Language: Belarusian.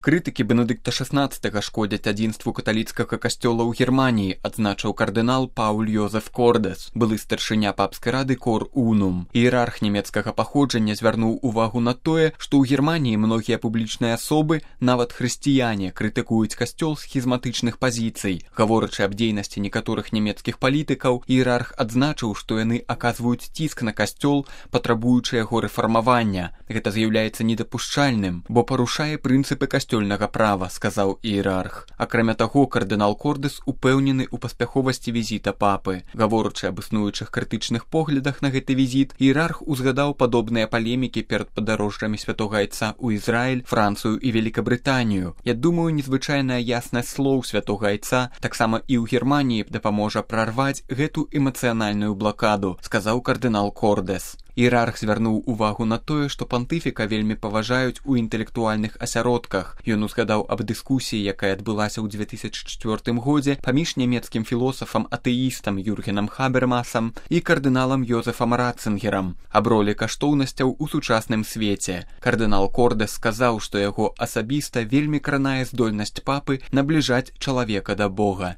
Крытыкі Бенедыкта XVI шкодзяць адзінству каталіцкага касцёла ў Германіі, адзначыў кардынал Пауль Йозеф Кордес, былы старшыня папскай рады Кор Унум. Іерарх нямецкага паходжання звярнуў увагу на тое, што ў Германіі многія публічныя асобы, нават хрысціяне, крытыкуюць касцёл з схізматычных пазіцый. Гаворачы аб дзейнасці некаторых нямецкіх палітыкаў, іерарх адзначыў, што яны аказваюць ціск на касцёл, патрабуючы яго рэфармавання. Гэта з'яўляецца недапушчальным, бо парушае прынцыпы касцёльнага права, сказаў іерарх. Акрамя таго, кардынал Кордес упэўнены ў паспяховасці візіта папы. Гаворачы аб існуючых крытычных поглядах на гэты візіт, іерарх узгадаў падобныя палемікі перад падарожжамі святога айца ў Ізраіль, Францыю і Великабрытанію. Я думаю, незвычайная яснасць слоў святога айца таксама і ў Германіі дапаможа прарваць гэту эмацыянальную блакаду, сказаў кардынал Кордес. Іерарх звярнуў увагу на тое, што пантыфіка вельмі паважаюць у інтэлектуальных асяродках. Ён узгадаў аб дыскусіі, якая адбылася ў 2004 годзе паміж нямецкім філосафам-атэістам Юргенам Хабермасам і кардыналам Йозефам Ратцынгерам аб ролі каштоўнасцяў у сучасным свеце. Кардынал Кордес сказаў, што яго асабіста вельмі кранае здольнасць папы набліжаць чалавека да Бога.